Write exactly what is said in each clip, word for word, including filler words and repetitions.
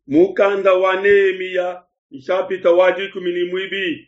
Mukanda wa Nehemiya nshapita wa dikumi ne muibidi.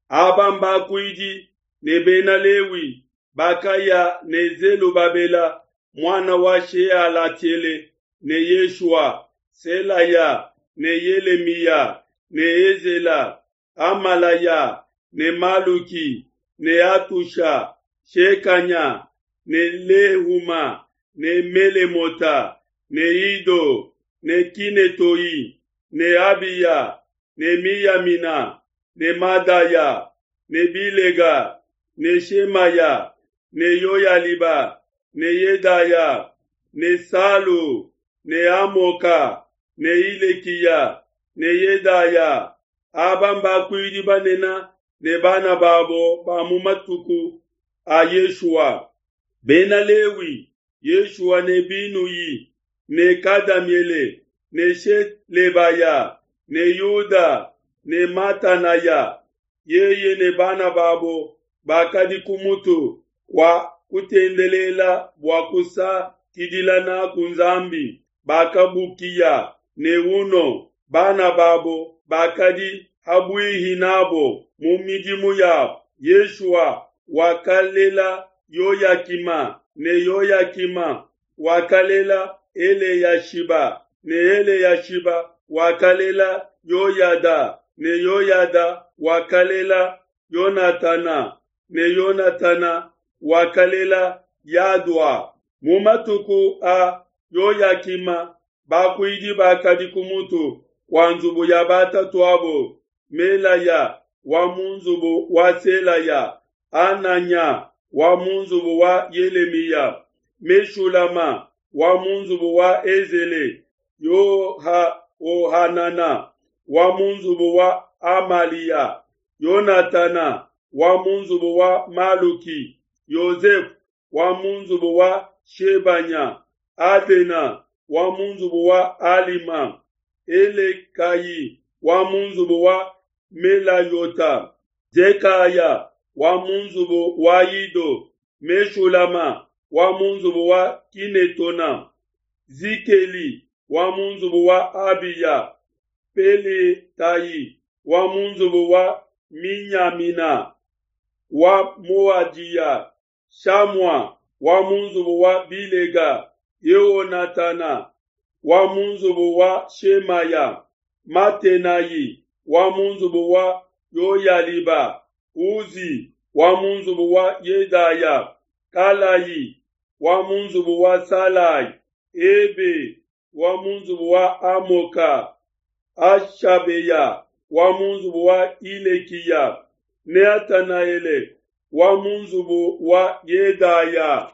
Aba mbakuidi ne bena Lewi bakaya ne Zelubabela muana wa Shealatiele ne Yeshua, Selaya ne Yelemiya ne Ezela, Amalaya ne Maluki ne Atusha, Shekanya ne Lehuma ne Melemota ne Ido ne Kinetoi ne Abiya ne Miyamina ne Madaya ne Bilega ne Shemaya ne Yoyaliba ne Yedaya ne Salu ne Amoka ne Ilekiya ne Yedaya. Aba mbakuidi banene ne bana babo ba mu matuku a Yeshua. Bena Lewi, Yeshua ne Binuyi ne Kadamiele ne Shelebaya ne Yuda ne Matanaya, yeye ne bana babo bakadi ku mutu kua kutendelela bua kusakidila naku Nzambi, bakabukiya ne Uno, bana babo bakadi ha buihi nabo mu midimu yabo. Yeshua wakalela Yoyakima ne Yoyakima wakalela Eleyashiba ne Eleyashiba wakalela Yoyada ne Yoyada wakalela Yonatana ne Yonatana wakalela Yadua. Mu matuku a Yoyakima bakuidi bakadi ku mutu kua nzubu ya batatuabo, Melaya wa mu nzubu wa Selaya, Ananya wa mu nzubu wa Yelemiya, Meshulama wa mu nzubu wa Ezele, Yohanana wa mu nzubu wa Amalia, Yonatana wa mu nzubu wa Maluki, Yozefu wa mu nzubu wa Shebanya, Adena wa mu nzubu wa Alima, Elekayi wa mu nzubu wa Melayota, Zekaya wa mu nzubu wa Ido, Meshulama wa mu nzubu wa Kinetona, Zikeli wa mu nzubu wa Abiya, Peletayi wa mu nzubu wa Minyamina, wa Moadiya, Shamua wa mu nzubu wa Bilega, Yehonatana wa mu nzubu wa Shemaya, Matenayi wa mu nzubu wa Yoyaliba, Uzi wa mu nzubu wa Yedaya, Kalayi wa mu nzubu wa Salai, Ebe wa mu nzubu wa Amoka, Ashabeya wa mu nzubu wa Ilekiya, Neatanaele wa mu nzubu wa Yedaya.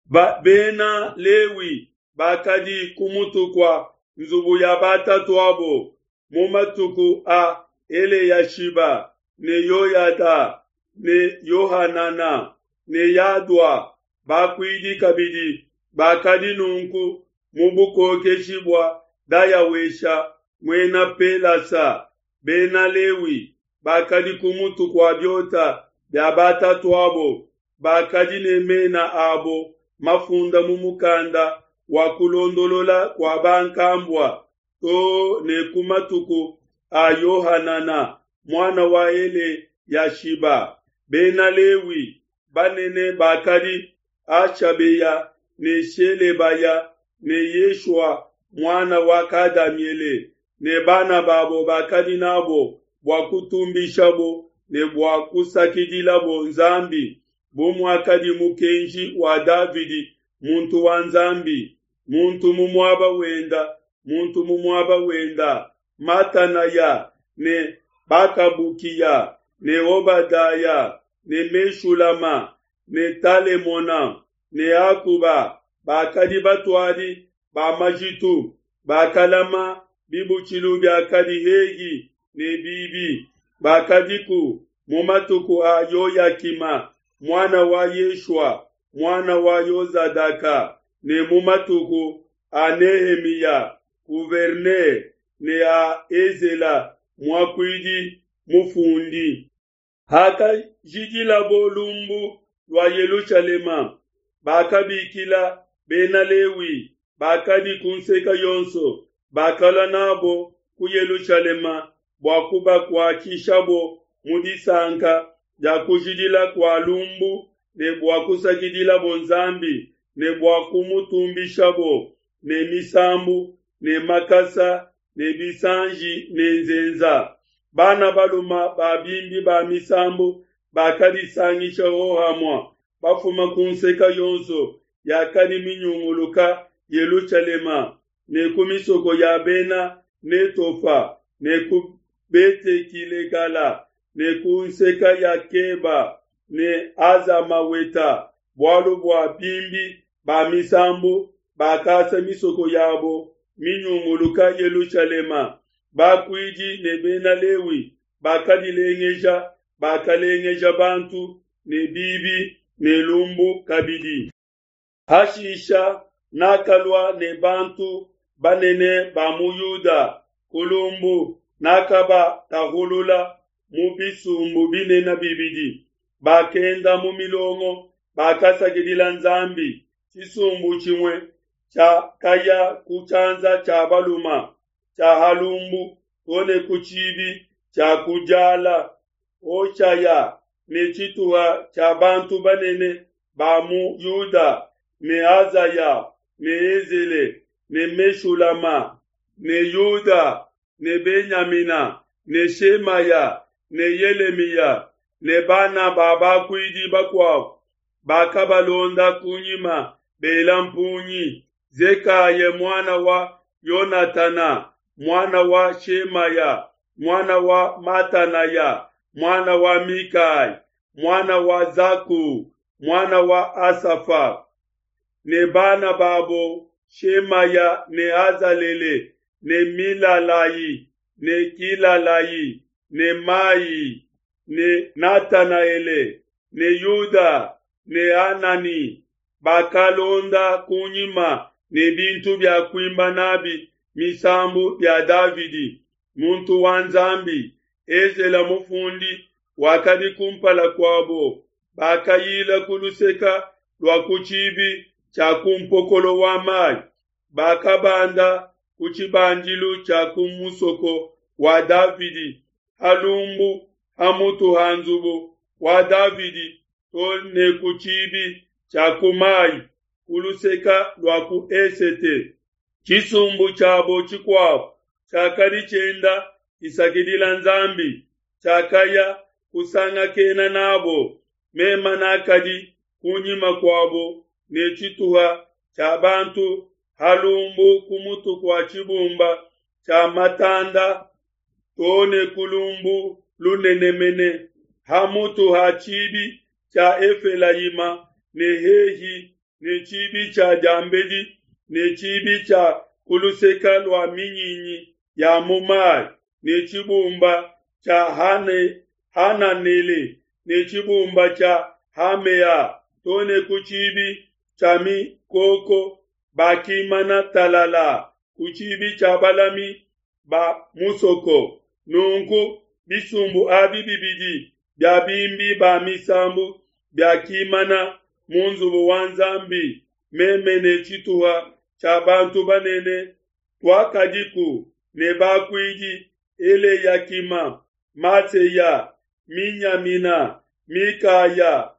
Ba bena Lewi bakadi ku mutu kua nzubu ya batatuabo mu matuku a Eleyashiba ne Yoyada ne Yohanana ne Yadua. Bakuidi kabidi bakadi nunku mu bukokeshi bua Dayawesha muena Pelasa. Bena Lewi bakadi ku mutu kua biota bia batatuabo, bakadi ne mena abo mafunda mu mukanda wa kulondolola kua bankambua to ne ku matuku a Yohanana muana wa Eleyashiba. Bena Lewi banene bakadi Ashabeya ne Shelebaya ne Yeshua muana wa Kadamiele ne bana babo bakadi nabo bua kutumbishabo ne bua kusakidilabo Nzambi, bu muakadi mukenji wa Davidi muntu wa Nzambi, muntu mu muaba wenda, muntu mu muaba wenda. Matanaya ne Bakabukiya ne Obadaya ne Meshulama ne Talemona ne Akuba bakadi batuadi ba majitu, bakalama bibutshilu biakadi hehi ne bibi. Bakadiku mu matuku a Yoyakima muana wa Yeshua muana wa Yozadaka ne mu matuku a Nehemiya gouverneur ne a Ezela muakuidi mufundi. Hakajidilabo lumbu lua Yelushalema, bakabikila Bena Lewi bakadi ku nseke yonso Bakalua n'abo ku Yelushalema bua kubakuatshishabo mu disanka dia kujidila kua lumbu ne bua kusakidilabo Nzambi ne bua kumutumbishabo ne misambu ne makasa ne bisanji ne nzenza. Bana baluma ba bimbi ba misambu bakadisangisha hohamue, bafuma ku nseke yonso yakadi minyunguluka Yelushalema ne ku misoko ya Bena Netofa ne ku Bete-kilegala ne ku nseke ya Keba ne Azamaweta, bualu bua bimbi ba misambu bakasa misoko yabo minyunguluka Yelushalema. Bakuidi ne Bena Lewi bakadilengeja, bakalengeja bantu ne bibi ne lumbu kabidi. Hashisha nakalua ne bantu banene ba mu Yuda ku lumbu, nakabatahulula mu bisumbu binene bibidi. Bakenda mu milongo, bakasakidila Nzambi. Tshisumbu tshimue tshiakaya ku tshianza tshia baluma tshia ha lumbu to ne ku tshibi tshia ku diala. Hoshaya ne tshituha tshia bantu banene ba mu Yuda ne Azaya ne Ezele ne Meshulama ne Yuda ne Benyamina ne Shemaya ne Yelemiya ne bana ba bakuidi bakuabo bakabalonda kunyima bela mpungi. Zekaya muana wa Yonatana muana wa Shemaya muana wa Matanaya muana wa Mikai muana wa Zaku muana wa Asafa ne bana babo Shemaya ne Azalele ne Milalai ne Kilalai ne Mai ne Natanaele ne Yuda ne Anani bakalonda kunyima ne bintu bia kuimba nabi misambu bia Davidi muntu wa Nzambi. Ezela mufundi wakadi kumpala kuabo. Bakayila ku luseka lua ku tshibi tshia ku mpokolo wa mayi, bakabanda ku tshibandilu tshia ku musoko wa Davidi ha lumbu ha mutu ha nzubu wa Davidi to ne ku tshibi tshia ku mayi ku luseka lua ku esete. Tshisumbu tshiabo tshikuabo tshiakadi tshienda tshisakidila Nzambi, tshiakaya kusangakena nabo. Mema nakadi kunyima kuabo ne tshituha tshia bantu ha lumbu ku mutu kua tshibumba tshia matanda to ne ku lumbu lunene mene ha mutu ha tshibi tshia Efelayima ne hehi ne tshibi tshia diambedi ne tshibi tshia ku luseka lua minyinyi ya mu mayi ne tshibumba tshia Hane, Hananele ne tshibumba tshia Hamea to ne ku tshibi tshia mikoko. Bakimana talala ku tshibi tshia balami ba musoko. Nunku bisumbu abi bibidi bia bimbi ba misambu biakimana mu nzubu wa Nzambi. Meme ne tshituha tshia bantu banene tuakadiku ne bakuidi Eleyakima, Maseya, Minyamina, Mikaya,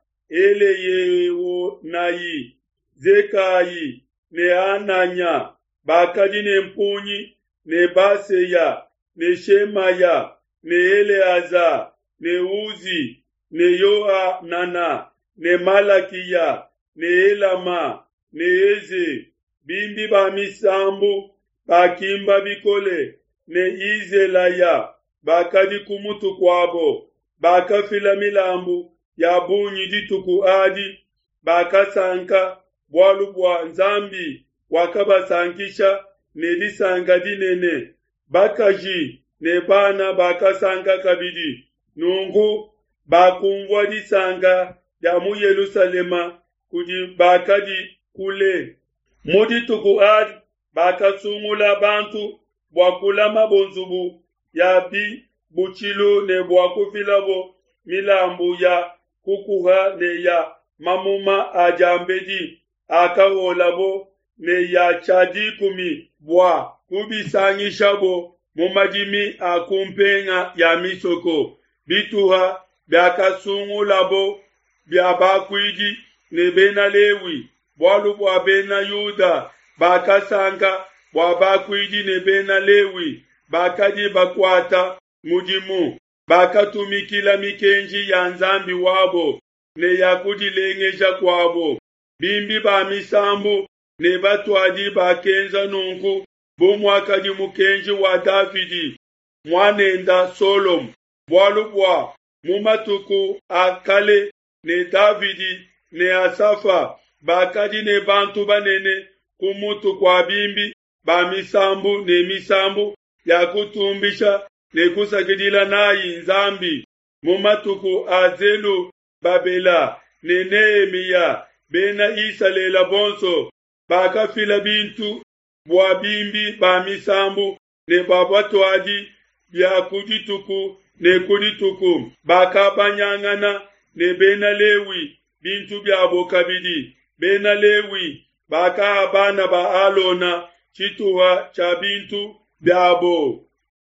Eleyeonai, Zekayi ne Ananya bakadi ne mpungi ne Baseya ne Shemaya ne Eleaza ne Uzi ne Yohanana ne Malakiya ne Elama ne Eze. Bimbi ba misambu bakimba bikole ne Izelaya bakadi ku mutu kuabo. Bakafila milambu ya bungi dituku adi, bakasanka bualu bua Nzambi wakabasankisha ne disanka dinene. Bakaji ne bana bakasanka kabidi. Nunku bakumvua disanka dia mu Yelushalema kudi bakadi kule. Mu dituku adi bakasungula bantu bua kulamabo nzubu ya bibutshilu ne bua kufilabo milambu ya kukuha ne ya mamuma a diambedi akaholabo ne ya tshia dikumi bua kubisangishabo mu madimi a ku mpenga ya misoko, bituha biakasungulabo bia bakuidi ne Bena Lewi, bualu bua Bena Yuda bakasanka bua bakuidi ne Bena Lewi bakadi bakuata mudimu, bakatumikila mikenji ya Nzambi wabo ne ya kudilengeja kuabo. Bimbi ba misambu ne batuadi bakenza nunku bu muakadi mukenji wa Davidi muanenda Solomo, bualu bua mu matuku a kale ne Davidi ne Asafa bakadi ne bantu banene ku mutu kua bimbi ba misambu ne misambu ya kutumbisha ne kusakidila nayi Nzambi. Mu matuku a Zelubabela ne Nehemiya, Bena Isalele bonso bakafila bintu bua bimbi ba misambu ne bua batuadi bia ku dituku ne ku dituku, bakabanyangana ne Bena Lewi bintu biabo kabidi. Bena Lewi bakaha bana ba Alona tshituha tshia bintu biabo.